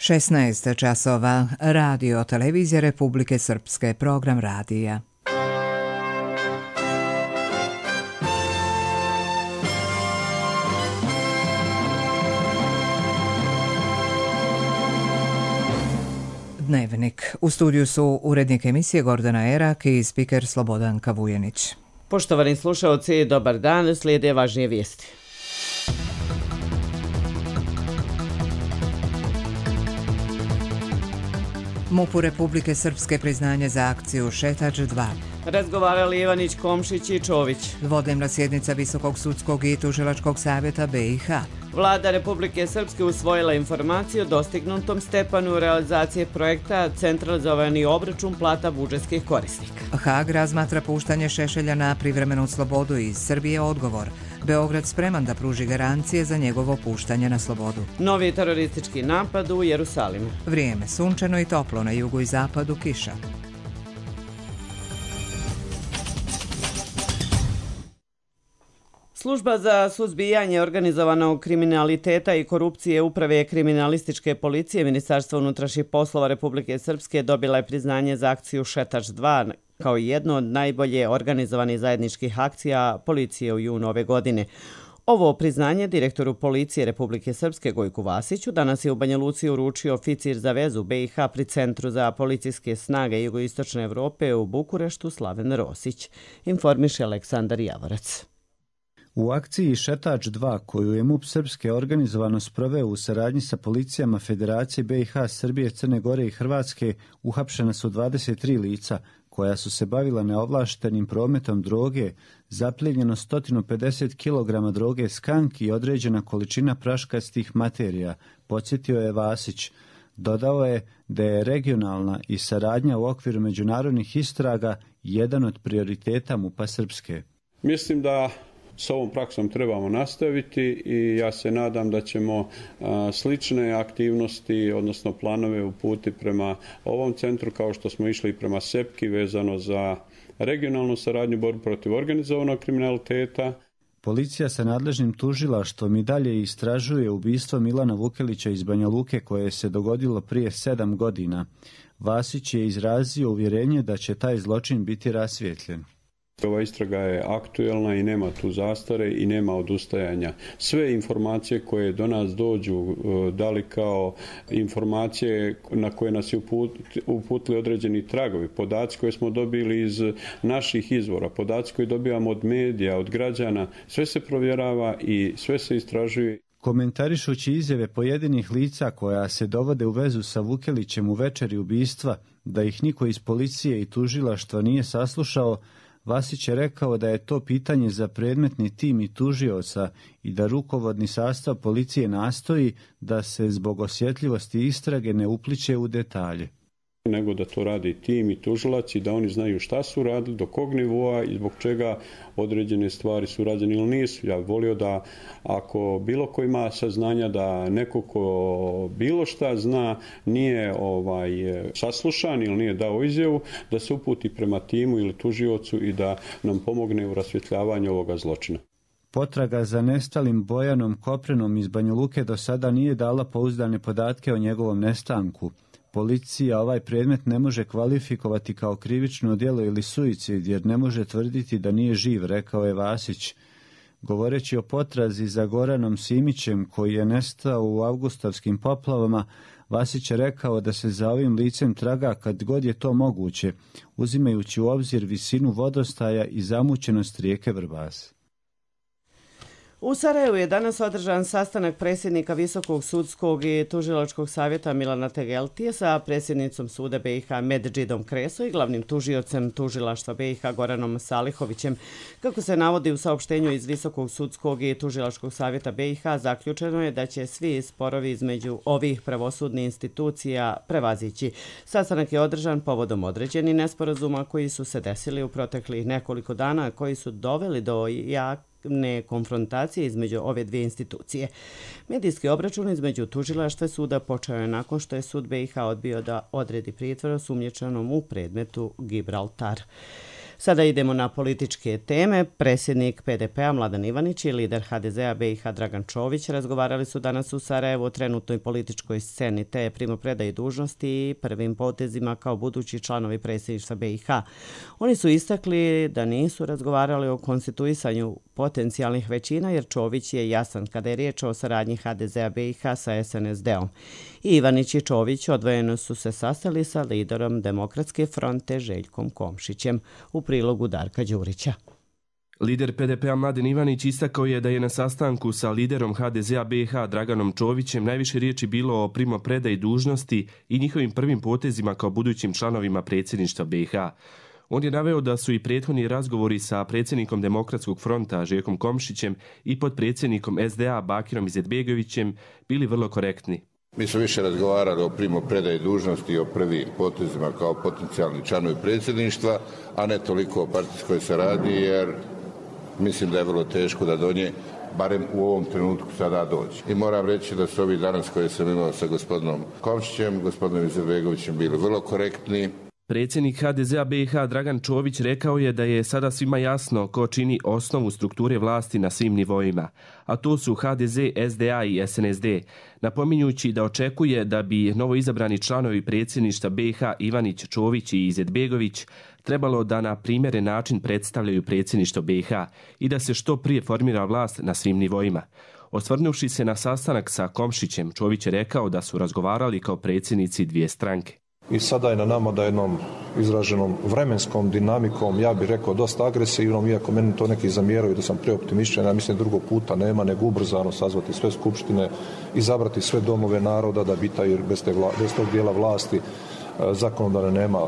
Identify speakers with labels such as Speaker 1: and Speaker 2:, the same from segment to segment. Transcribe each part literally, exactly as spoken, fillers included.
Speaker 1: šesnaest časova. Radio Televizija Republike Srpske, program radija. Dnevnik. U studiju su urednik emisije Gordana Erak i spiker Slobodanka Vujenić.
Speaker 2: Poštovani slušalci, dobar dan, slijede važnije vijesti.
Speaker 1: MUP-u Republike Srpske priznanje za akciju Šetač dva.
Speaker 2: Razgovarali Ivanić, Komšić i Čović.
Speaker 1: Dvodnevna sjednica Visokog sudskog i tužilačkog savjeta B i H.
Speaker 2: Vlada Republike Srpske usvojila informaciju o dostignutom stepanu realizacije projekta centralizovani obračun plata budžetskih korisnika.
Speaker 1: Haag razmatra puštanje Šešelja na privremenu slobodu. Iz Srbije odgovor. Beograd spreman da pruži garancije za njegovo puštanje na slobodu.
Speaker 2: Novi teroristički napad u Jerusalimu.
Speaker 1: Vrijeme sunčano i toplo, na jugu i zapadu kiša.
Speaker 2: Služba za suzbijanje organizovanog kriminaliteta i korupcije Uprave kriminalističke policije Ministarstva unutrašnjih poslova Republike Srpske dobila je priznanje za akciju Šetač dva kao jedno od najbolje organizovanih zajedničkih akcija policije u junu ove godine. Ovo priznanje direktoru policije Republike Srpske Gojku Vasiću danas je u Banja Luci uručio oficir za vezu B i H pri Centru za policijske snage Jugoistočne Evrope u Bukureštu Slaven Rosić, informiše Aleksandar Javorac.
Speaker 3: U akciji Šetač dva, koju je MUP Srpske organizovano sproveo u saradnji sa policijama Federacije B i H, Srbije, Crne Gore i Hrvatske, uhapšena su dvadeset tri lica koja su se bavila neovlaštenim prometom droge, zaplijenjeno sto pedeset kilograma droge skank i određena količina praškastih materija, podsjetio je Vasić. Dodao je da je regionalna i saradnja u okviru međunarodnih istraga jedan od prioriteta MUP-a Srpske.
Speaker 4: Mislim da s ovom praksom trebamo nastaviti i ja se nadam da ćemo a, slične aktivnosti, odnosno planove uputiti prema ovom centru kao što smo išli prema Sepki vezano za regionalnu saradnju borbu protiv organizovanog kriminaliteta.
Speaker 3: Policija sa nadležnim tužilaštvom i dalje istražuje ubistvo Milana Vukelića iz Banja Luke koje se dogodilo prije sedam godina. Vasić je izrazio uvjerenje da će taj zločin biti rasvijetljen.
Speaker 4: Ova istraga je aktuelna i nema tu zastare i nema odustajanja. Sve informacije koje do nas dođu, da li kao informacije na koje nas je uputili određeni tragovi, podaci koje smo dobili iz naših izvora, podaci koje dobijamo od medija, od građana, sve se provjerava i sve se istražuje.
Speaker 3: Komentarišući izjave pojedinih lica koja se dovode u vezu sa Vukelićem u večeri ubistva, da ih niko iz policije i tužilaštva nije saslušao, Vasić je rekao da je to pitanje za predmetni tim i tužioca i da rukovodni sastav policije nastoji da se zbog osjetljivosti istrage ne upliće u detalje.
Speaker 4: Nego da to radi tim i tužilac i da oni znaju šta su radili, do kog nivoa i zbog čega određene stvari su rađene ili nisu. Ja bih volio da ako bilo ko ima saznanja da neko ko bilo šta zna nije ovaj, saslušan ili nije dao izjavu, da se uputi prema timu ili tužiocu i da nam pomogne u rasvjetljavanju ovoga zločina.
Speaker 3: Potraga za nestalim Bojanom Koprenom iz Banja Luke do sada nije dala pouzdane podatke o njegovom nestanku. Policija ovaj predmet ne može kvalifikovati kao krivično djelo ili suicid jer ne može tvrditi da nije živ, rekao je Vasić. Govoreći o potrazi za Goranom Simićem koji je nestao u avgustavskim poplavama, Vasić je rekao da se za ovim licem traga kad god je to moguće, uzimajući u obzir visinu vodostaja i zamućenost rijeke Vrbas.
Speaker 2: U Sarajevu je danas održan sastanak predsjednika Visokog sudskog i tužilačkog savjeta Milana Tegeltije sa predsjednicom suda B i H Medžidom Kreso i glavnim tužiocem tužilaštva B i H Goranom Salihovićem. Kako se navodi u saopštenju iz Visokog sudskog i tužilačkog savjeta B i H, zaključeno je da će svi sporovi između ovih pravosudnih institucija prevazići. Sastanak je održan povodom određenih nesporazuma koji su se desili u proteklih nekoliko dana, koji su doveli do jak ne konfrontacije između ove dvije institucije. Medijski obračun između tužilaštva suda počeo je nakon što je sud B i H odbio da odredi pritvor osumnjičenom u predmetu Gibraltar. Sada idemo na političke teme. Predsjednik P D P-a Mladen Ivanić i lider H D Z-a B i H Dragan Čović razgovarali su danas u Sarajevu o trenutnoj političkoj sceni te primopredaji dužnosti i prvim potezima kao budući članovi predsjedništva B i H. Oni su istakli da nisu razgovarali o konstituisanju potencijalnih većina jer Čović je jasan kada je riječ o saradnji H D Z-a B i H sa S N S D-om. I Ivanić i Čović odvojeno su se sastali sa liderom Demokratske fronte Željkom Komšićem. U prilogu Darka Đurića.
Speaker 5: Lider P D P-a Mladen Ivanić istakao je da je na sastanku sa liderom H D Z-a B i H Draganom Čovićem najviše riječi bilo o primopredaji dužnosti i njihovim prvim potezima kao budućim članovima predsjedništva B i H. On je naveo da su i prethodni razgovori sa predsjednikom Demokratskog fronta Željkom Komšićem i podpredsjednikom S D A Bakirom Izetbegovićem bili vrlo korektni.
Speaker 6: Mi smo više razgovarali o primopredaji dužnosti i o prvim potezima kao potencijalni članovi predsjedništva, a ne toliko o partijskoj saradnji, jer mislim da je vrlo teško da do nje, barem u ovom trenutku, sada dođe. I moram reći da su ovi danas koje sam imao sa gospodinom Komšićem, gospodinom Izetbegovićem bili vrlo korektni.
Speaker 5: Predsjednik H D Z-a B i H Dragan Čović rekao je da je sada svima jasno ko čini osnovu strukture vlasti na svim nivoima, a to su H D Z, S D A i S N S D, napominjući da očekuje da bi novoizabrani članovi predsjedništva B i H Ivanić, Čović i Izetbegović trebalo da na primjeren način predstavljaju predsjedništvo B i H i da se što prije formira vlast na svim nivoima. Osvrnuvši se na sastanak sa Komšićem, Čović je rekao da su razgovarali kao predsjednici dvije stranke.
Speaker 7: I sada je na nama da jednom izraženom vremenskom dinamikom, ja bih rekao dosta agresivnom, iako meni to neki zamjeraju da sam preoptimističan, ja mislim drugog puta nema, nego ubrzano sazvati sve skupštine, izabrati sve domove naroda da bi taj, bez, te vla, bez tog dijela vlasti zakonodavne nema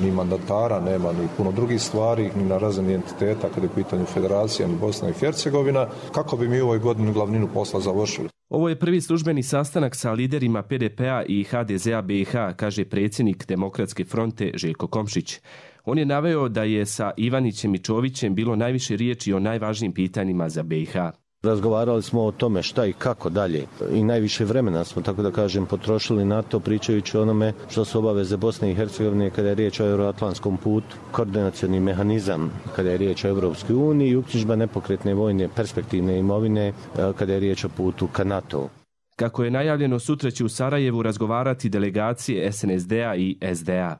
Speaker 7: ni mandatara, nema ni puno drugih stvari, ni na razini entiteta kada je u pitanju federacija ni Bosna i Hercegovina, kako bi mi u ovoj godini glavninu posla završili.
Speaker 5: Ovo je prvi službeni sastanak sa liderima P D P-a i H D Z-a B i H, kaže predsjednik Demokratske fronte Željko Komšić. On je naveo da je sa Ivanićem i Čovićem bilo najviše riječi o najvažnijim pitanjima za B i H.
Speaker 8: Razgovarali smo o tome šta i kako dalje i najviše vremena smo, tako da kažem, potrošili na to pričajući o onome što su obaveze Bosne i Hercegovine kada je riječ o euroatlantskom putu, koordinacioni mehanizam kada je riječ o Europskoj uniji i uknjižba nepokretne vojne perspektivne imovine kada je riječ o putu ka NATO.
Speaker 5: Kako je najavljeno, sutra će u Sarajevu razgovarati delegacije S N S D-a i S D A.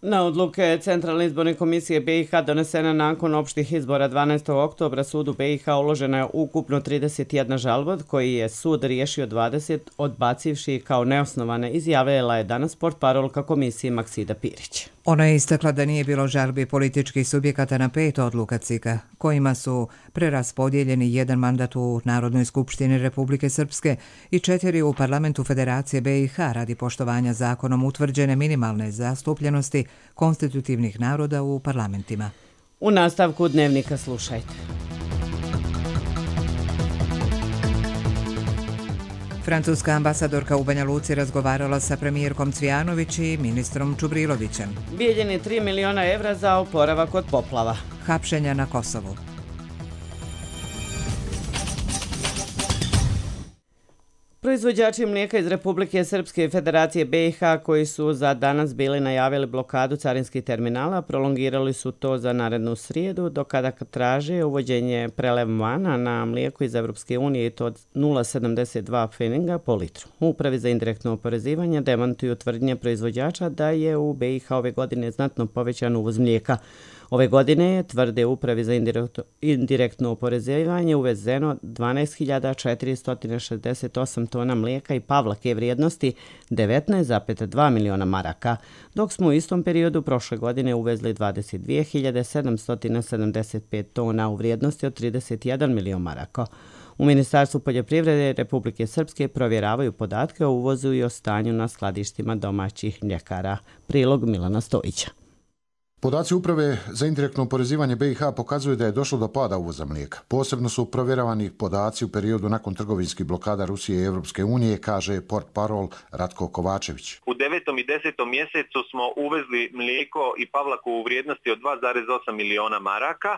Speaker 2: Na odluke Centralne izborne komisije B i H donesena nakon opštih izbora dvanaestog oktobra sudu B i H uložena je ukupno trideset jedna žalba od koji je sud riješio dvadeset, odbacivši kao neosnovane, izjavila je danas portparolka komisije Maksida Pirić.
Speaker 1: Ona je istakla da nije bilo žalbi političkih subjekata na pet odluka C I K-a, kojima su preraspodijeljeni jedan mandat u Narodnoj skupštini Republike Srpske i četiri u Parlamentu Federacije B i H radi poštovanja zakonom utvrđene minimalne zastupljenosti konstitutivnih naroda u parlamentima.
Speaker 2: U nastavku dnevnika slušajte.
Speaker 1: Francuska ambasadorka u Banja Luci razgovarala sa premijerkom Cvijanović i ministrom Čubrilovićem.
Speaker 2: Bijeljeni tri miliona evra za oporavak od poplava.
Speaker 1: Hapšenja na Kosovu.
Speaker 2: Proizvođači mlijeka iz Republike Srpske i Federacije B i H koji su za danas bili najavili blokadu carinskih terminala, prolongirali su to za narednu srijedu, do kada traže uvođenje prelevmana na mlijeko iz Evropske unije i to od nula zarez sedamdeset dva pfeninga po litru. U Upravi za indirektno oporezivanje demantuju tvrdnje proizvođača da je u B i H ove godine znatno povećan uvoz mlijeka. Ove godine, tvrde Upravi za indirektno oporezivanje, uvezeno dvanaest hiljada četiristo šezdeset osam tona mlijeka i pavlake vrijednosti devetnaest zarez dva miliona maraka, dok smo u istom periodu prošle godine uvezli dvadeset dvije hiljade sedamsto sedamdeset pet tona u vrijednosti od trideset jedan milion maraka. U Ministarstvu poljoprivrede Republike Srpske provjeravaju podatke o uvozu i o stanju na skladištima domaćih mljekara. Prilog Milana Stojića.
Speaker 9: Podaci Uprave za indirektno oporezivanje B i H pokazuju da je došlo do pada uvoza mlijeka. Posebno su provjeravani podaci u periodu nakon trgovinskih blokada Rusije i Evropske unije, kaže portparol Ratko Kovačević.
Speaker 10: U devetom i desetom mjesecu smo uvezli mlijeko i pavlaku u vrijednosti od dva zarez osam miliona maraka,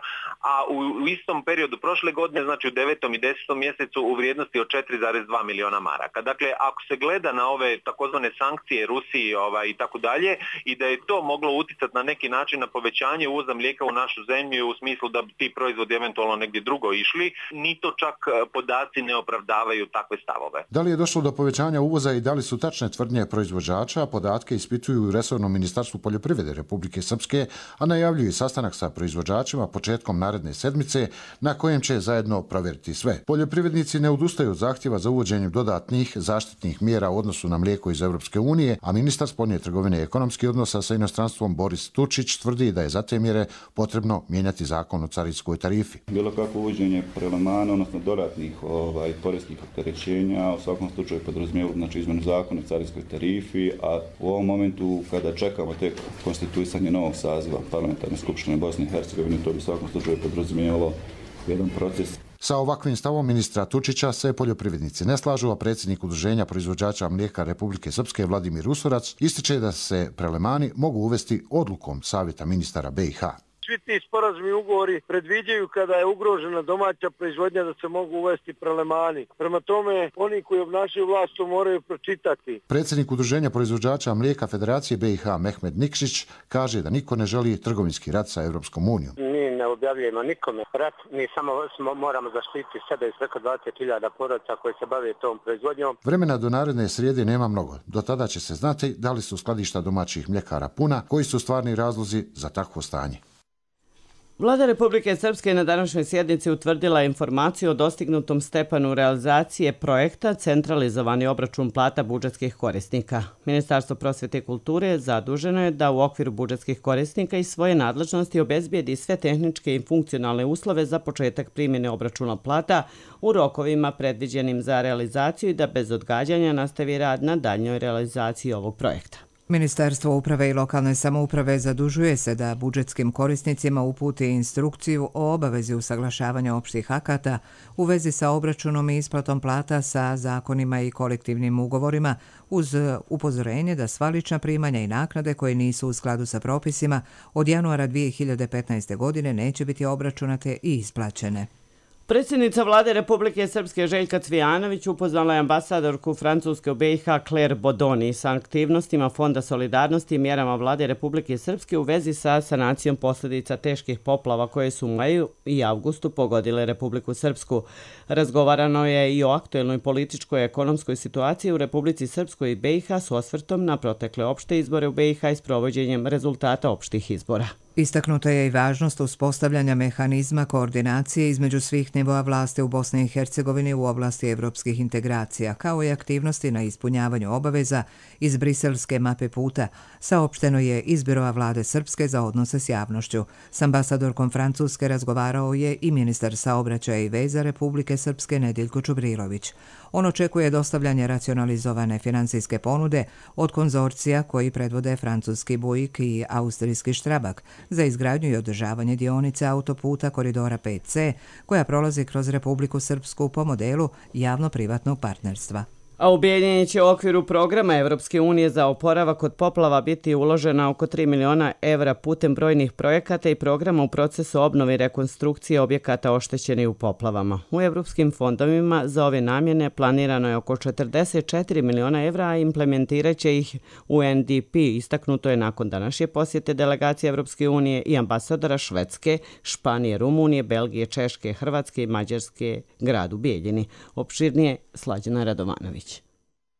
Speaker 10: a u istom periodu prošle godine, znači u devetom i desetom mjesecu u vrijednosti od četiri zarez dva miliona maraka. Dakle, ako se gleda na ove takozvane sankcije Rusiji ovaj, i tako dalje i da je to moglo uticati na neki način znači na povećanje uvoza mlijeka u našu zemlju u smislu da bi ti proizvodi eventualno negdje drugo išli, ni to čak podaci ne opravdavaju takve stavove.
Speaker 9: Da li je došlo do povećanja uvoza i da li su tačne tvrdnje proizvođača, podatke ispituju u resornom ministarstvu poljoprivrede Republike Srpske, a najavljuju sastanak sa proizvođačima početkom naredne sedmice na kojem će zajedno provjeriti sve. Poljoprivrednici ne odustaju od zahtjeva za uvođenjem dodatnih zaštitnih mjera u odnosu na mlijeko iz Europske unije, a ministar spoljne trgovine i ekonomskih odnosa sa inostranstvom Boris Tučić tvrdi da je za te mjere potrebno mijenjati zakon o carinskoj tarifi.
Speaker 11: Bilo kako uvođenje prelemana, odnosno dodatnih ovaj, poreskih opterećenja, u svakom slučaju podrazumijeva znači izmjenu zakona o carinskoj tarifi, a u ovom momentu kada čekamo tek konstituisanje novog saziva parlamentarne skupštine Bosne i Hercegovine, to bi u svakom slučaju podrazumijevalo jedan proces.
Speaker 9: Sa ovakvim stavom ministra Tučića se poljoprivrednici ne slažu, a predsjednik Udruženja proizvođača mlijeka Republike Srpske Vladimir Usorac ističe da se prelemani mogu uvesti odlukom Savjeta ministara be i ha.
Speaker 12: Svi ti sporazumi i ugovori predviđaju kada je ugrožena domaća proizvodnja da se mogu uvesti prelemani. Prema tome, oni koji obnašaju vlast to moraju pročitati.
Speaker 9: Predsjednik Udruženja proizvođača mlijeka Federacije be i ha Mehmed Nikšić kaže da niko ne želi trgovinski rat sa Europskom unijom.
Speaker 13: Mi ne objavljujemo nikome rat, mi samo smo, moramo zaštiti sebe i preko dvadeset hiljada porodica koji se bave tom proizvodnjom.
Speaker 9: Vremena do naredne srijede nema mnogo. Do tada će se znati da li su skladišta domaćih mljekara puna, koji su stvarni razlozi za takvo stanje.
Speaker 2: Vlada Republike Srpske na današnjoj sjednici utvrdila informaciju o dostignutom stepenu realizacije projekta Centralizovani obračun plata budžetskih korisnika. Ministarstvo prosvjete i kulture zaduženo je da u okviru budžetskih korisnika i svoje nadležnosti obezbijedi sve tehničke i funkcionalne uslove za početak primjene obračuna plata u rokovima predviđenim za realizaciju i da bez odgađanja nastavi rad na daljnjoj realizaciji ovog projekta.
Speaker 1: Ministarstvo uprave i lokalne samouprave zadužuje se da budžetskim korisnicima uputi instrukciju o obavezi usaglašavanja opštih akata u vezi sa obračunom i isplatom plata sa zakonima i kolektivnim ugovorima uz upozorenje da sva lična primanja i naknade koje nisu u skladu sa propisima od januara dvije hiljade petnaeste. godine neće biti obračunate i isplaćene.
Speaker 2: Predsjednica vlade Republike Srpske Željka Cvijanović upoznala je ambasadorku Francuske u be i ha Claire Bodoni sa aktivnostima Fonda solidarnosti i mjerama vlade Republike Srpske u vezi sa sanacijom posljedica teških poplava koje su u maju i avgustu pogodile Republiku Srpsku. Razgovarano je i o aktuelnoj političkoj i ekonomskoj situaciji u Republici Srpskoj i be i ha s osvrtom na protekle opšte izbore u be i ha i s provođenjem rezultata opštih izbora.
Speaker 1: Istaknuta je i važnost uspostavljanja mehanizma koordinacije između svih nivoa vlasti u Bosni i Hercegovini u oblasti evropskih integracija, kao i aktivnosti na ispunjavanju obaveza iz briselske mape puta, saopšteno je iz Biroa vlade Srpske za odnose s javnošću. S ambasadorkom Francuske razgovarao je i ministar saobraćaja i veza Republike Srpske Nediljko Čubrilović. On očekuje dostavljanje racionalizovane finansijske ponude od konzorcija koji predvode francuski Bouygues i austrijski Strabag za izgradnju i održavanje dionice autoputa koridora pet ce koja prolazi kroz Republiku Srpsku po modelu javno-privatnog partnerstva.
Speaker 2: A u Bijeljini će u okviru programa Evropske unije za oporavak od poplava biti uložena oko tri miliona evra putem brojnih projekata i programa u procesu obnove i rekonstrukcije objekata oštećenih u poplavama. U evropskim fondovima za ove namjene planirano je oko četrdeset četiri miliona evra, a implementirat će ih u en de pe, istaknuto je nakon današnje posjete delegacije Evropske unije i ambasadora Švedske, Španije, Rumunije, Belgije, Češke, Hrvatske i Mađarske gradu Bijeljini. Opširnije Slađana Radovanović.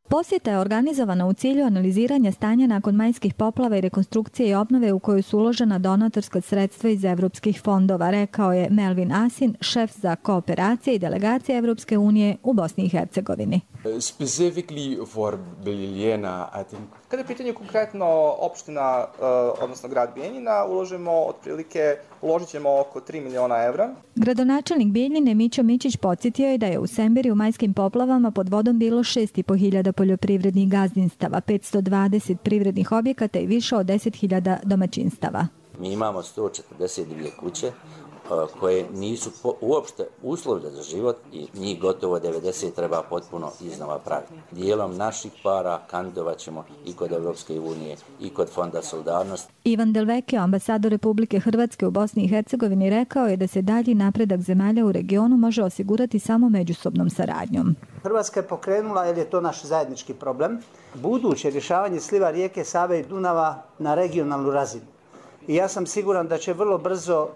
Speaker 14: Posjeta je organizovana u cilju analiziranja stanja nakon majskih poplava i rekonstrukcije i obnove u kojoj su uložena donatorska sredstva iz evropskih fondova, rekao je Melvin Asin, šef za kooperacije i delegacije Evropske unije u Bosni i Hercegovini.
Speaker 15: Specifically for Bijeljina, I think. Kada je pitanje konkretno opština, odnosno grad Bijeljina, uložimo otprilike, uložit ćemo oko tri miliona evra.
Speaker 14: Gradonačelnik Bijeljine Mićo Mićić podsjetio je da je u Semberi u majskim poplavama pod vodom bilo šest i po hiljada poljoprivrednih gazdinstava, petsto dvadeset privrednih objekata i više od deset hiljada domaćinstava.
Speaker 16: Mi imamo sto četrdeset divlje kuće koje nisu uopšte uslovne za život i njih gotovo devedeset treba potpuno iznova praviti. Dijelom naših para kandidovat ćemo i kod Evropske unije i kod Fonda solidarnosti.
Speaker 14: Ivan Delvekio, ambasador Republike Hrvatske u Bosni i Hercegovini, rekao je da se dalji napredak zemalja u regionu može osigurati samo međusobnom saradnjom.
Speaker 17: Hrvatska je pokrenula, jer je to naš zajednički problem, buduće rješavanje sliva rijeke Save i Dunava na regionalnu razinu. i ja sam siguran da će vrlo brzo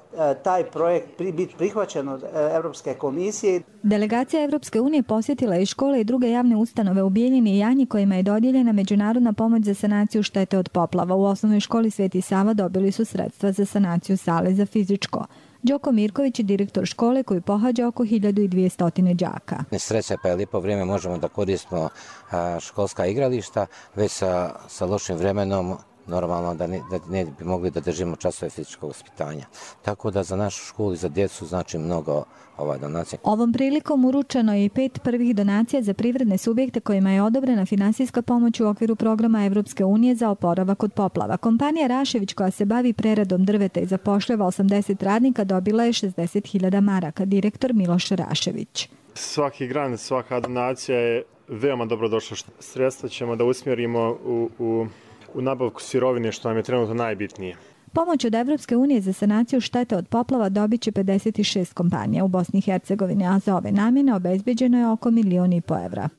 Speaker 17: taj projekt biti prihvaćen od Europske komisije.
Speaker 14: Delegacija Evropske unije posjetila i škole i druge javne ustanove u Bijeljini i Janji kojima je dodijeljena međunarodna pomoć za sanaciju štete od poplava. U osnovnoj školi Sveti Sava dobili su sredstva za sanaciju sale za fizičko. Đoko Mirković je direktor škole koji pohađa oko hiljadu dvjesto đaka.
Speaker 18: Sreća pa je lijepo vrijeme, možemo da koristimo školska igrališta, već sa, sa lošim vremenom normalno da ne, da ne bi mogli da držimo časove fizičkog vaspitanja. Tako da za našu školu i za djecu znači mnogo ova donacija.
Speaker 14: Ovom prilikom uručeno je i pet prvih donacija za privredne subjekte kojima je odobrena finansijska pomoć u okviru programa Evropske unije za oporavak od poplava. Kompanija Rašević koja se bavi preradom drveta i zapošljava osamdeset radnika dobila je šezdeset hiljada maraka. Direktor Miloš Rašević.
Speaker 19: Svaki grant, svaka donacija je veoma dobrodošla. Sredstva ćemo da usmjerimo u, u u nabavku sirovine, što nam je trenutno najbitnije.
Speaker 14: Pomoć od Evropske unije za sanaciju štete od poplava dobit će pedeset šest kompanija u Bosni i Hercegovini, a za ove namjene obezbeđeno je oko milion i po evra.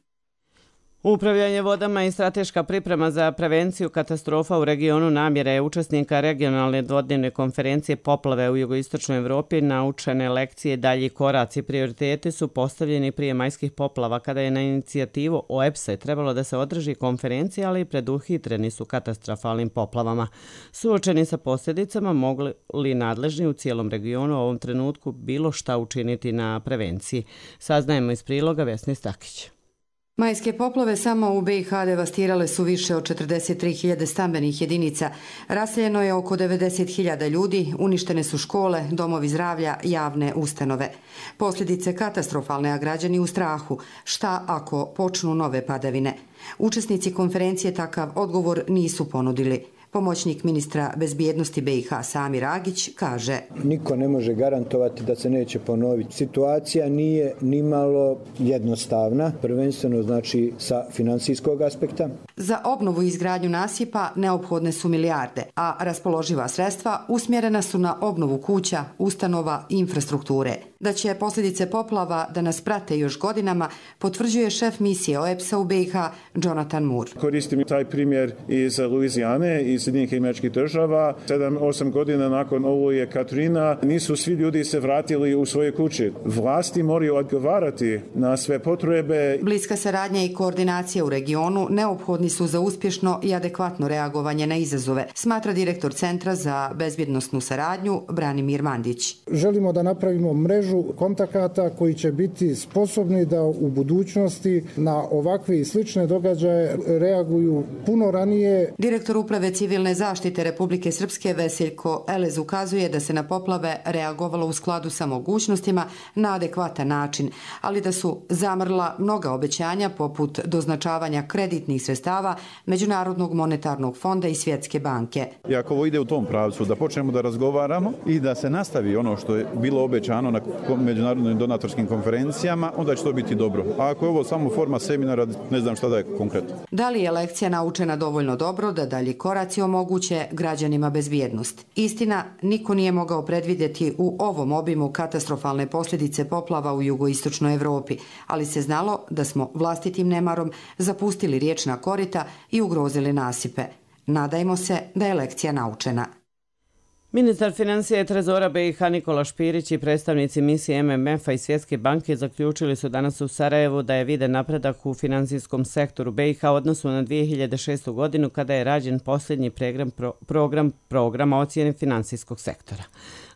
Speaker 2: Upravljanje vodama i strateška priprema za prevenciju katastrofa u regionu namjera je učesnika regionalne dvodnevne konferencije poplave u jugoistočnoj Evropi. Naučene lekcije, dalji koraci, prioriteti su postavljeni prije majskih poplava kada je na inicijativu O E P S-a trebalo da se održi konferencija, ali preduhitreni su katastrofalnim poplavama. Suočeni sa posljedicama, mogli li nadležni u cijelom regionu u ovom trenutku bilo šta učiniti na prevenciji? Saznajemo iz priloga Vesne Stakić.
Speaker 20: Majske poplave samo u B i H devastirale su više od četrdeset tri hiljade stambenih jedinica. Raseljeno je oko devedeset hiljada ljudi, uništene su škole, domovi zdravlja, javne ustanove. Posljedice katastrofalne, a građani u strahu. Šta ako počnu nove padavine? Učesnici konferencije takav odgovor nisu ponudili. Pomoćnik ministra bezbjednosti B i H Samir Agić kaže:
Speaker 21: Niko ne može garantovati da se neće ponoviti. Situacija nije nimalo jednostavna, prvenstveno znači sa financijskog aspekta.
Speaker 20: Za obnovu i izgradnju nasipa neophodne su milijarde, a raspoloživa sredstva usmjerena su na obnovu kuća, ustanova i infrastrukture. Da će posljedice poplava da nas prate još godinama, potvrđuje šef misije O E P S-a u B i H Jonathan Moore.
Speaker 22: Koristim taj primjer iz Luizijane, iz Sjedinjenih Američkih Država. Sedam, osam godina nakon oluje Katrina nisu svi ljudi se vratili u svoje kuće. Vlasti moraju odgovarati na sve potrebe.
Speaker 20: Bliska saradnja i koordinacija u regionu neophodni su za uspješno i adekvatno reagovanje na izazove, smatra direktor Centra za bezbjednosnu saradnju Branimir Mandić.
Speaker 23: Želimo da napravimo mrežu kontakata koji će biti sposobni da u budućnosti na ovakve i slične događaje reaguju puno ranije.
Speaker 20: Direktor uprave civilne zaštite Republike Srpske Veseljko Elez ukazuje da se na poplave reagovalo u skladu sa mogućnostima na adekvatan način, ali da su zamrla mnoga obećanja poput doznačavanja kreditnih sredstava Međunarodnog monetarnog fonda i Svjetske banke.
Speaker 24: I ako ovo ide u tom pravcu, da počnemo da razgovaramo i da se nastavi ono što je bilo obećano na međunarodnim donatorskim konferencijama, onda će to biti dobro. A ako je ovo samo forma seminara, ne znam šta da je konkretno.
Speaker 20: Da li je lekcija naučena dovoljno dobro da dalji koraci omoguće građanima bezbjednost? Istina, niko nije mogao predvidjeti u ovom obimu katastrofalne posljedice poplava u jugoistočnoj Evropi, ali se znalo da smo vlastitim nemarom zapustili riječna korita i ugrozili nasipe. Nadajmo se da je lekcija naučena.
Speaker 2: Ministar financija i trezora B i H Nikola Špirić i predstavnici misije M M F-a i Svjetske banke zaključili su danas u Sarajevu da je viden napredak u finansijskom sektoru B i H u odnosu na dvije hiljade šestu godinu kada je rađen posljednji program, program programa ocjene finansijskog sektora.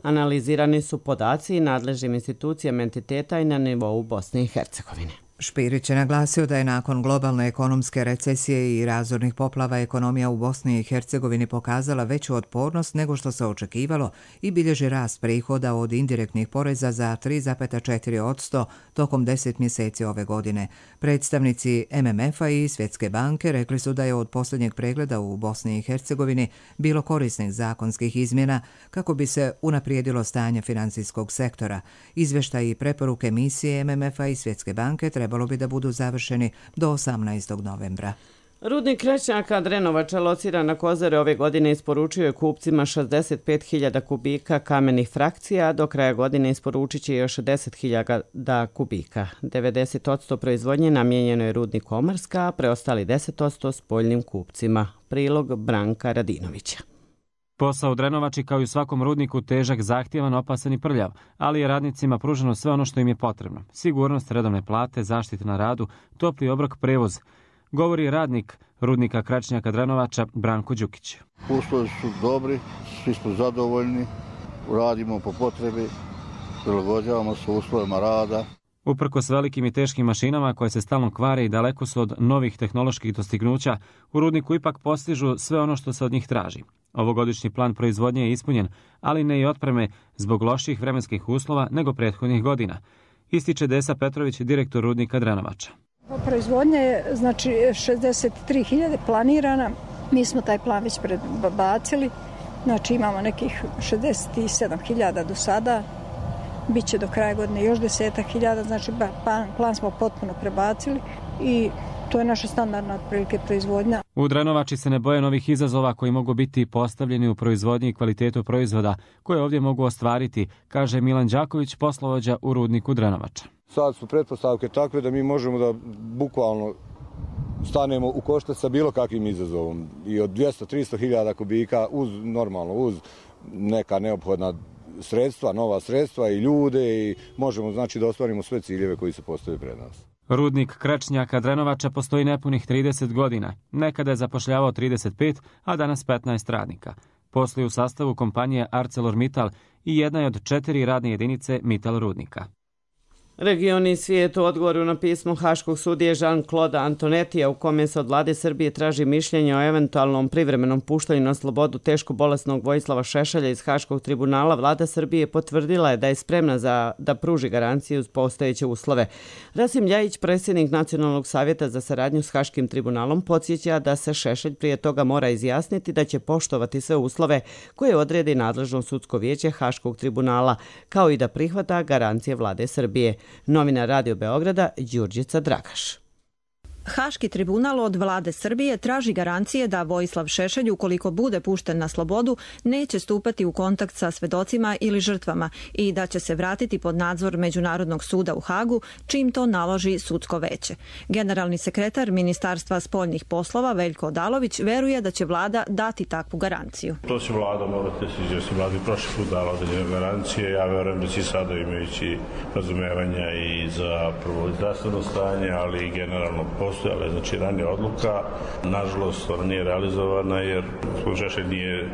Speaker 2: Analizirani su podaci i nadležnim institucijama entiteta i na nivou Bosne i Hercegovine.
Speaker 1: Špirić je naglasio da je nakon globalne ekonomske recesije i razornih poplava ekonomija u Bosni i Hercegovini pokazala veću otpornost nego što se očekivalo i bilježi rast prihoda od indirektnih poreza za tri zarez četiri posto tokom deset mjeseci ove godine. Predstavnici M M F-a i Svjetske banke rekli su da je od posljednjeg pregleda u Bosni i Hercegovini bilo korisnih zakonskih izmjena kako bi se unaprijedilo stanje financijskog sektora. Izvještaj i preporuke misije M M F-a i Svjetske banke treba trebalo bi da budu završeni do osamnaestog novembra.
Speaker 2: Rudnik Krećnjaka Drenovača lociran na Kozare ove godine isporučio je kupcima šezdeset pet hiljada kubika kamenih frakcija, a do kraja godine isporučit će još deset hiljada kubika. devedeset posto proizvodnje namijenjeno je rudniku Omarska, a preostali deset posto spoljnim kupcima. Prilog Branka Radinovića.
Speaker 3: Posao u Drenovači kao i u svakom rudniku težak, zahtjevan, opasan i prljav, ali je radnicima pruženo sve ono što im je potrebno. Sigurnost, redovne plate, zaštita na radu, topli obrok, prevoz. Govori radnik rudnika Kračnjaka Drenovača Branko Đukić.
Speaker 4: Uslovi su dobri, svi smo zadovoljni, radimo po potrebi, prilagođavamo se uslovima rada.
Speaker 3: Uprkos velikim i teškim mašinama koje se stalno kvare i daleko su od novih tehnoloških dostignuća, u rudniku ipak postižu sve ono što se od njih traži. Ovogodišnji plan proizvodnje je ispunjen, ali ne i otpreme zbog loših vremenskih uslova nego prethodnih godina, ističe Desa Petrović, direktor rudnika Drenovača.
Speaker 6: Proizvodnja je znači šezdeset tri hiljade planirana, mi smo taj plan već prebacili, znači imamo nekih šezdeset sedam hiljada do sada, bit će do kraja godine još desetak hiljada, znači plan, plan smo potpuno prebacili i to je naša standardna otprilike proizvodnja.
Speaker 3: U Drenovači se ne boje novih izazova koji mogu biti postavljeni u proizvodnji i kvalitetu proizvoda koje ovdje mogu ostvariti, kaže Milan Đaković, poslovođa u rudniku Drenovača.
Speaker 7: Sad su pretpostavke takve da mi možemo da bukvalno stanemo u koštac sa bilo kakvim izazovom. I od dvjesto do tristo hiljada kubika uz normalno, uz neka neophodna sredstva, nova sredstva i ljude i možemo znači da ostvarimo sve ciljeve koji se postave pred nas.
Speaker 3: Rudnik Kračnjaka Drenovača postoji nepunih trideset godina. Nekada je zapošljavao trideset pet, a danas petnaest radnika. Posluju u sastavu kompanije ArcelorMittal i jedna je od četiri radne jedinice Mittal rudnika.
Speaker 2: Region i svijet u odgovoru na pismo Haškog sudije Jean-Claude Antonetija u kome se od vlade Srbije traži mišljenje o eventualnom privremenom puštanju na slobodu teško bolesnog Vojislava Šešelja iz Haškog tribunala, vlada Srbije potvrdila je da je spremna za da pruži garancije uz postojeće uslove. Rasim Ljajić, predsjednik Nacionalnog savjeta za saradnju s Haškim tribunalom, podsjeća da se Šešelj prije toga mora izjasniti da će poštovati sve uslove koje odredi nadležno sudsko vijeće Haškog tribunala, kao i da prihvata garancije vlade Srbije. Novinar Radio Beograda Đurđica Dragaš.
Speaker 25: Haški tribunal od vlade Srbije traži garancije da Vojislav Šešelj, ukoliko bude pušten na slobodu, neće stupati u kontakt sa svedocima ili žrtvama i da će se vratiti pod nadzor Međunarodnog suda u Hagu, čim to naloži sudsko veće. Generalni sekretar Ministarstva spoljnih poslova Veljko Odalović veruje da će vlada dati takvu garanciju.
Speaker 26: To će vlada morati se, jer se vladi prošli put dala određene garancije. Ja verujem da će sada imajući razumevanja i za prvo zdravstveno stanje, ali i generalno postojala, znači ranija odluka. Nažalost, ona nije realizovana jer Šešelj nije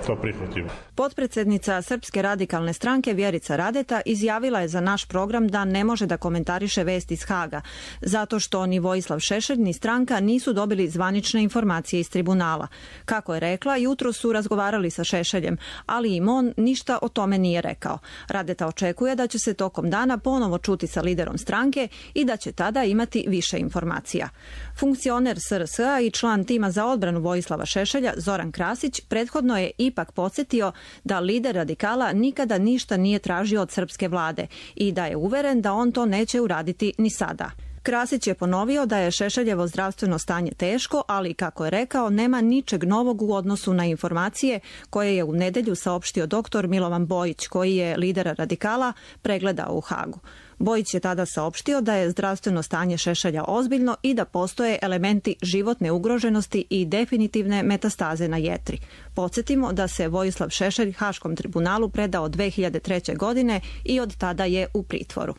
Speaker 26: to prihvatio.
Speaker 25: Potpredsjednica Srpske radikalne stranke Vjerica Radeta izjavila je za naš program da ne može da komentariše vesti iz Haga, zato što ni Vojislav Šešelj ni stranka nisu dobili zvanične informacije iz tribunala. Kako je rekla, jutro su razgovarali sa Šešeljem, ali im on ništa o tome nije rekao. Radeta očekuje da će se tokom dana ponovo čuti sa liderom stranke i da će tada imati više informacija. Funkcioner S R S-a i član tima za odbranu Vojislava Šešelja Zoran Krasić prethodno je ipak podsjetio da lider radikala nikada ništa nije tražio od srpske vlade i da je uveren da on to neće uraditi ni sada. Krasić je ponovio da je Šešeljevo zdravstveno stanje teško, ali kako je rekao, nema ničeg novog u odnosu na informacije koje je u nedelju saopštio doktor Milovan Bojić, koji je lider radikala pregledao u Hagu. Bojić je tada saopštio da je zdravstveno stanje Šešelja ozbiljno i da postoje elementi životne ugroženosti i definitivne metastaze na jetri. Podsjetimo da se Vojislav Šešelj Haškom tribunalu predao dve hiljade treće. godine i od tada je u pritvoru.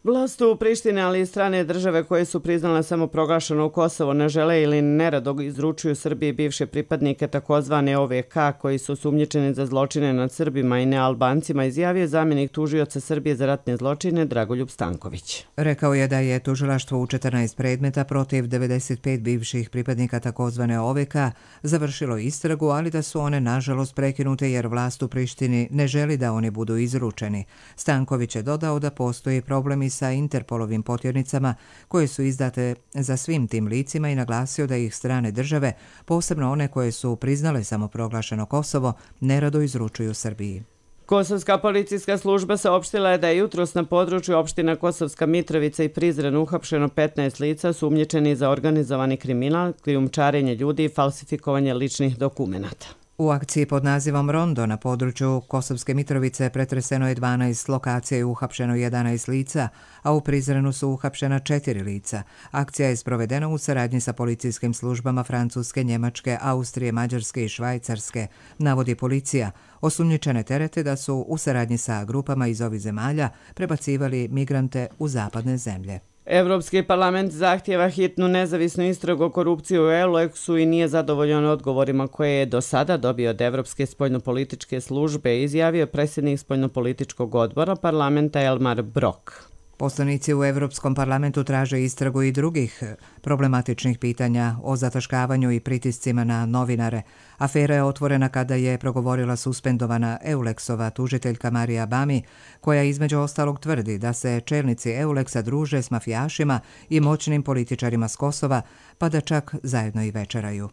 Speaker 2: Vlast u Prištini, ali i strane države koje su priznale samoproglašeno Kosovo ne žele ili nerado izručuju Srbiji bivše pripadnike takozvane O V K koji su sumnjičeni za zločine nad Srbima i nealbancima, izjavio zamjenik tužioca Srbije za ratne zločine Dragoljub Stanković.
Speaker 1: Rekao je da je tužilaštvo u četrnaest predmeta protiv devedeset pet bivših pripadnika takozvane O V K završilo istragu, ali da su one nažalost prekinute jer vlast u Prištini ne želi da oni budu izručeni. Stanković je dodao da postoji problemi sa Interpolovim potjernicama koje su izdate za svim tim licima i naglasio da ih strane države, posebno one koje su priznale samoproglašeno Kosovo, nerado izručuju Srbiji.
Speaker 2: Kosovska policijska služba saopštila je da je jutros na području opština Kosovska Mitrovica i Prizren uhapšeno petnaest lica sumnjičeni za organizovani kriminal, krijumčarenje ljudi i falsifikovanje ličnih dokumenata.
Speaker 1: U akciji pod nazivom Rondo na području Kosovske Mitrovice pretreseno je dvanaest lokacija i uhapšeno jedanaest lica, a u Prizrenu su uhapšena četiri lica. Akcija je sprovedena u saradnji sa policijskim službama Francuske, Njemačke, Austrije, Mađarske i Švajcarske, navodi policija. Osumnjičene terete da su u saradnji sa grupama iz ovih zemalja prebacivali migrante u zapadne zemlje.
Speaker 2: Evropski parlament zahtjeva hitnu nezavisnu istragu o korupciji u Euleksu i nije zadovoljan odgovorima koje je do sada dobio od Evropske spoljnopolitičke službe, izjavio predsjednik spoljnopolitičkog odbora parlamenta Elmar Brok.
Speaker 1: Poslanici u Evropskom parlamentu traže istragu i drugih problematičnih pitanja o zataškavanju i pritiscima na novinare. Afera je otvorena kada je progovorila suspendovana Euleksova tužiteljka Marija Bami, koja između ostalog tvrdi da se čelnici Euleksa druže s mafijašima i moćnim političarima s Kosova, pa da čak zajedno i večeraju.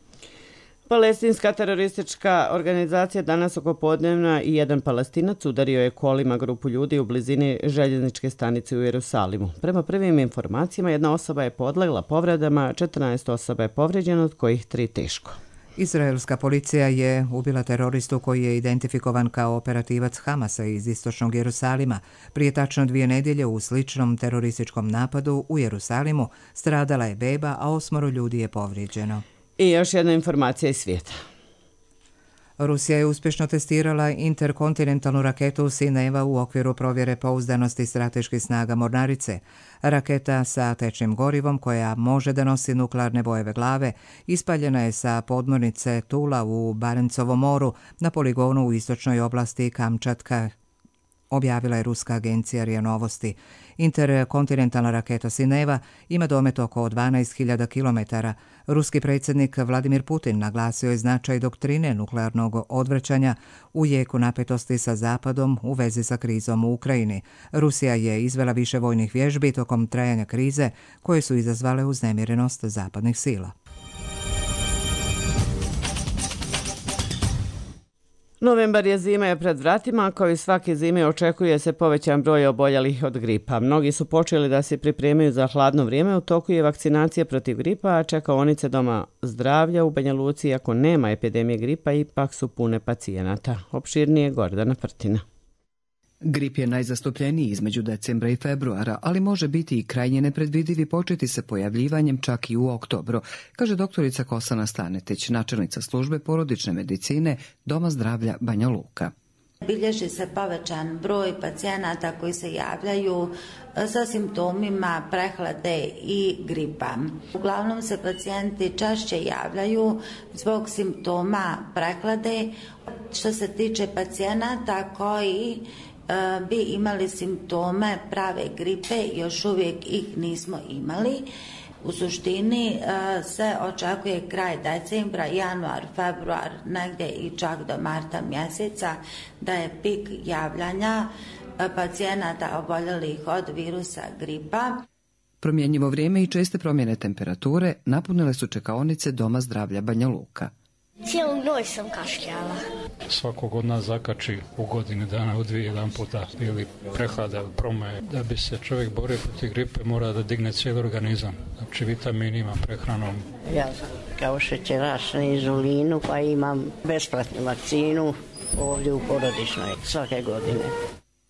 Speaker 2: Palestinska teroristička organizacija danas oko podnevna i jedan Palestinac udario je kolima grupu ljudi u blizini željezničke stanice u Jerusalimu. Prema prvim informacijama, jedna osoba je podlegla povredama, četrnaest osoba je povređeno, od kojih tri teško.
Speaker 1: Izraelska policija je ubila teroristu koji je identifikovan kao operativac Hamasa iz istočnog Jerusalima. Prije tačno dvije nedjelje u sličnom terorističkom napadu u Jerusalimu stradala je beba, a osmoro ljudi je povrijeđeno.
Speaker 2: I još jedna informacija iz svijeta.
Speaker 1: Rusija je uspješno testirala interkontinentalnu raketu Sineva u okviru provjere pouzdanosti strateških snaga mornarice. Raketa sa tečnim gorivom, koja može da nosi nuklearne bojeve glave, ispaljena je sa podmornice Tula u Barencovom moru na poligonu u istočnoj oblasti Kamčatka, objavila je ruska agencija R I A Novosti. Interkontinentalna raketa Sineva ima domet oko dvanaest hiljada kilometara. Ruski predsjednik Vladimir Putin naglasio je značaj doktrine nuklearnog odvraćanja u jeku napetosti sa Zapadom u vezi sa krizom u Ukrajini. Rusija je izvela više vojnih vježbi tokom trajanja krize koje su izazvale uznemirenost zapadnih sila.
Speaker 2: Novembar je zima je pred vratima, kao i svake zime očekuje se povećan broj oboljelih od gripa. Mnogi su počeli da se pripremaju za hladno vrijeme, u toku je vakcinacija protiv gripa, a čekaonice doma zdravlja u Banja Luci, iako nema epidemije gripa, ipak su pune pacijenata. Opširnije Gordana Prtina.
Speaker 5: Grip je najzastupljeniji između decembra i februara, ali može biti i krajnje nepredvidiv i početi se pojavljivanjem čak i u oktobru, kaže doktorica Kosana Stanetić, načelnica službe porodične medicine Doma zdravlja Banja Luka.
Speaker 8: Bilježi se povećan broj pacijenata koji se javljaju sa simptomima prehlade i gripa. Uglavnom se pacijenti češće javljaju zbog simptoma prehlade. Što se tiče pacijenata koji bi imali simptome prave gripe, još uvijek ih nismo imali. U suštini se očekuje kraj decembra, januar, februar, negdje i čak do marta mjeseca da je pik javljanja pacijenata oboljelih od virusa gripa.
Speaker 5: Promjenjivo vrijeme i česte promjene temperature napunile su čekaonice Doma zdravlja Banja Luka.
Speaker 10: Cijelu noć sam kašljala.
Speaker 11: Svakog od nas zakači u godini dana u dvije jedan puta ili prehlada ili promaje. Da bi se čovjek borio protiv gripe mora da digne cijeli organizam. Znači vitaminima, prehranom.
Speaker 10: Ja kao šećeraš na inzulinu pa imam besplatnu vakcinu ovdje u porodičnoj svake godine.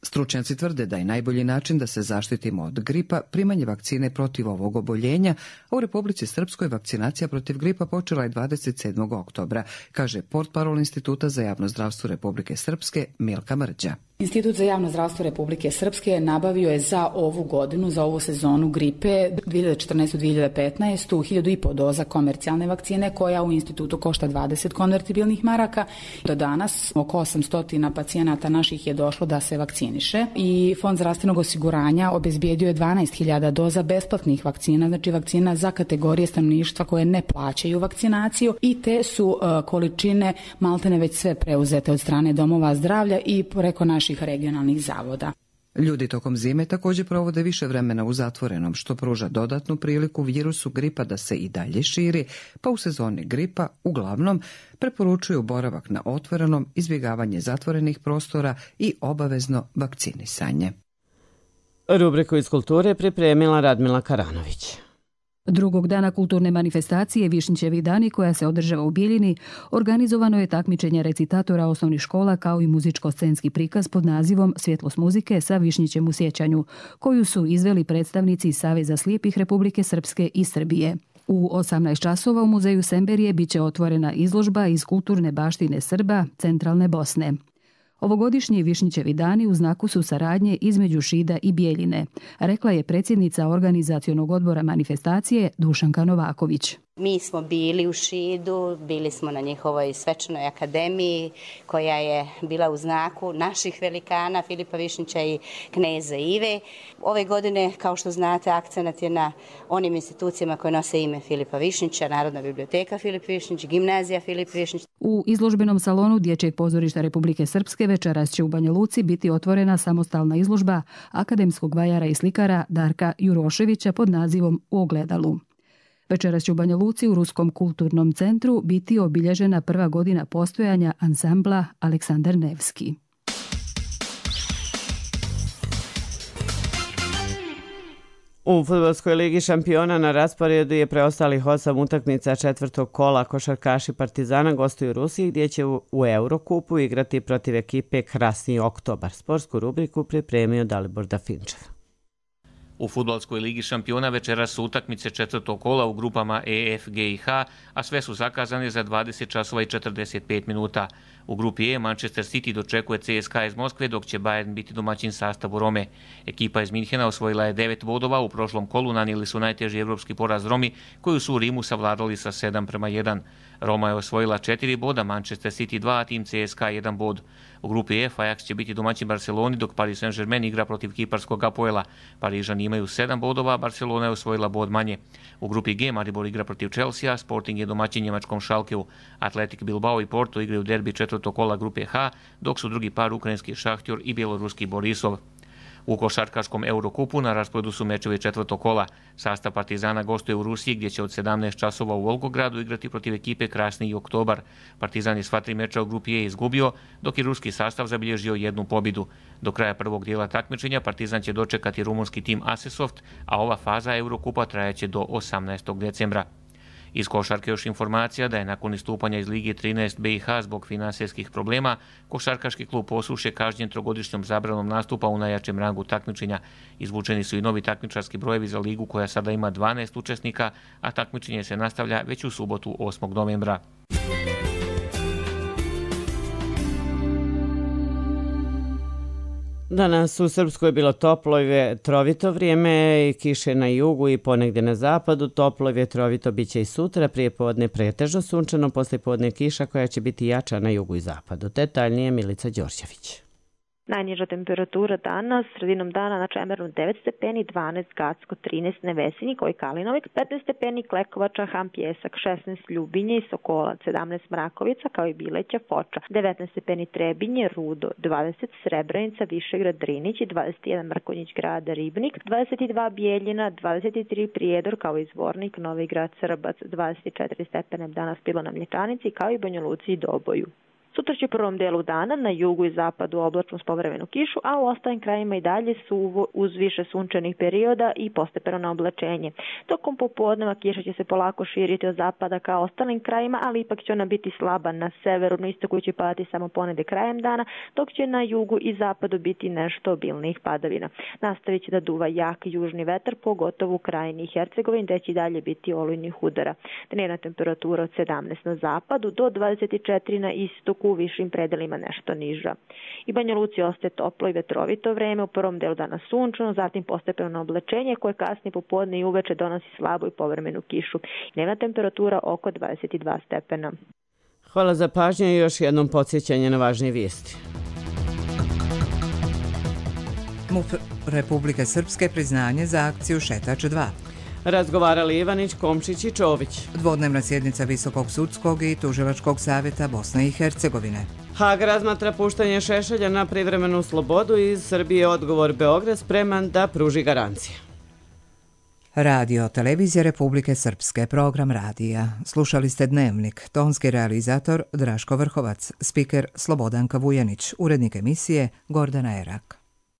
Speaker 5: Stručnjaci tvrde da je najbolji način da se zaštitimo od gripa primanje vakcine protiv ovog oboljenja, a u Republici Srpskoj vakcinacija protiv gripa počela je dvadeset sedmog oktobra, kaže portparol Instituta za javno zdravstvo Republike Srpske Milka Mrđa.
Speaker 12: Institut za javno zdravstvo Republike Srpske nabavio je za ovu godinu, za ovu sezonu gripe dvije hiljade četrnaeste dvije hiljade petnaeste hiljadu i po doza komercijalne vakcine koja u institutu košta dvadeset konvertibilnih maraka. Do danas oko osamsto pacijenata naših je došlo da se vakciniše i Fond zdravstvenog osiguranja obezbijedio je dvanaest hiljada doza besplatnih vakcina, znači vakcina za kategorije stanovništva koje ne plaćaju vakcinaciju i te su uh, količine maltene već sve preuzete od strane domova zdravlja i preko naših regionalnih zavoda.
Speaker 5: Ljudi tokom zime također provode više vremena u zatvorenom, što pruža dodatnu priliku virusu gripa da se i dalje širi, pa u sezoni gripa uglavnom preporučuju boravak na otvorenom, izbjegavanje zatvorenih prostora i obavezno vakcinisanje.
Speaker 2: Rubriku iz kulture pripremila Radmila Karanović.
Speaker 9: Drugog dana kulturne manifestacije Višnjićevi dani, koja se održava u Bijeljini, organizovano je takmičenje recitatora osnovnih škola kao i muzičko-scenski prikaz pod nazivom Svjetlost muzike sa Višnjićem u sjećanju, koju su izveli predstavnici Saveza slijepih Republike Srpske i Srbije. U osamnaest časova u muzeju Semberije biće otvorena izložba iz kulturne baštine Srba centralne Bosne. Ovogodišnji Višnjićevi dani u znaku su saradnje između Šida i Bijeljine, rekla je predsjednica organizacionog odbora manifestacije Dušanka Novaković.
Speaker 13: Mi smo bili u Šidu, bili smo na njihovoj svečanoj akademiji koja je bila u znaku naših velikana Filipa Višnjića i kneza Ive. Ove godine, kao što znate, akcenat je na onim institucijama koje nose ime Filipa Višnjića, Narodna biblioteka Filip Višnjić, Gimnazija Filip Višnjić.
Speaker 9: U izložbenom salonu Dječjeg pozorišta Republike Srpske večeras će u Banja Luci biti otvorena samostalna izložba akademskog vajara i slikara Darka Juroševića pod nazivom U ogledalu. Večeras će u Banja Luci u Ruskom kulturnom centru biti obilježena prva godina postojanja ansambla Aleksandar Nevski.
Speaker 2: U Fudbalskoj ligi šampiona na rasporedu je preostalih osam utakmica četvrtog kola. Košarkaši Partizana gostuju u Rusiji, gdje će u Eurokupu igrati protiv ekipe Krasni Oktobar. Sportsku rubriku pripremio Dalibor Dafinčev.
Speaker 15: U Fudbalskoj ligi šampiona večeras su utakmice četvrtog kola u grupama E, F, G i H, a sve su zakazane za dvadeset časova i četrdeset pet minuta. U grupi E Manchester City dočekuje C S K A iz Moskve, dok će Bayern biti domaćin sastavu Rome. Ekipa iz Minhena osvojila je devet bodova, u prošlom kolu nanijeli su najteži evropski poraz Romi, koju su u Rimu savladali sa sedam prema jedan. Roma je osvojila četiri boda, Manchester City dva, a tim C S K A jedan bod. U grupi F Ajax će biti domaćin Barceloni, dok Paris Saint-Germain igra protiv kiparskog Apoela. Parižani imaju sedam bodova, Barcelona je osvojila bod manje. U grupi G Maribor igra protiv Chelsea, Sporting je domaćin njemačkom Schalkeu. Atletik Bilbao i Porto igraju derbi četvrtog kola grupe H, dok su drugi par ukrajinski Šahtjor i bjeloruski Borisov. U košarkaškom Eurokupu na rasporedu su mečevi četvrtog kola. Sastav Partizana gostuje u Rusiji, gdje će od sedamnaest časova u Volgogradu igrati protiv ekipe Krasni Oktobar. Partizan je sva tri meča u grupi E izgubio, dok je ruski sastav zabilježio jednu pobjedu. Do kraja prvog dijela takmičenja Partizan će dočekati rumunski tim Asesoft, a ova faza Eurokupa trajaće do osamnaestog decembra. Iz košarke još informacija da je nakon istupanja iz Lige trinaest B i H zbog finansijskih problema, košarkaški klub Posuše kažnjen trogodišnjom zabranom nastupa u najjačem rangu takmičenja. Izvučeni su i novi takmičarski brojevi za ligu koja sada ima dvanaest učesnika, a takmičenje se nastavlja već u subotu osmog novembra.
Speaker 2: Danas u Srpskoj je bilo toplo i vjetrovito vrijeme i kiše na jugu i ponegdje na zapadu. Toplo i vjetrovito bit će i sutra, prije podne pretežno sunčano, poslije podne kiša koja će biti jača na jugu i zapadu. Detaljnije Milica Đorđević.
Speaker 16: Najniža temperatura danas, sredinom dana na Čemernu devet stepeni, dvanaest Gacko, trinaest Nevesinji, koji Kalinovik, petnaest stepeni Klekovača, Ham Pjesak, šesnaest Ljubinje i Sokolac, sedamnaest Mrakovica, kao i Bileća, Foča, devetnaest stepeni Trebinje, Rudo, dvadeset Srebrenica, Višegrad, Drinić, dvadeset jedan Mrkonjić Grada, Ribnik, dvadeset dva Bijeljina, dvadeset tri Prijedor, kao i Zvornik, Novi Grad, Srbac, dvadeset četiri stepene danas bilo na Mlječanici, kao i Banja Luci i Doboju. Sutra će u prvom delu dana na jugu i zapadu oblačno s povremenu kišu, a u ostalim krajima i dalje su uz više sunčanih perioda i postepeno na oblačenje. Tokom popodneva kiša će se polako širiti od zapada ka ostalim krajima, ali ipak će ona biti slaba na severu, na istoku će padati samo ponedje krajem dana, dok će na jugu i zapadu biti nešto obilnijih padavina. Nastavit će da duva jak južni vetar, pogotovo u krajini i Hercegovini, gdje će i dalje biti olujnih udara. Dnevna temperatura od sedamnaest na zapadu do dvadeset četiri na istoku, u višim predelima nešto niža. I Banja Luci ostaje toplo i vetrovito vreme, u prvom delu dana sunčano, zatim postepeno na oblačenje koje kasnije popodne i uveče donosi slabu i povremenu kišu. Dnevna temperatura oko dvadeset dva stepena.
Speaker 2: Hvala za pažnju i još jednom podsjećanje na važnije vijesti.
Speaker 1: MUP Republike Srpske priznanje za akciju Šetač dva.
Speaker 2: Razgovarali Ivanić, Komšić i Čović.
Speaker 1: Dvodnevna sjednica Visokog sudskog i Tužilačkog savjeta Bosne i Hercegovine.
Speaker 2: Hag razmatra puštanje Šešelja na privremenu slobodu i iz Srbije odgovor Beograd spreman da pruži garancije.
Speaker 1: Radio Televizija Republike Srpske, program radija. Slušali ste Dnevnik, tonski realizator Draško Vrhovac, spiker Slobodanka Vujanić, urednik emisije Gordana Erak.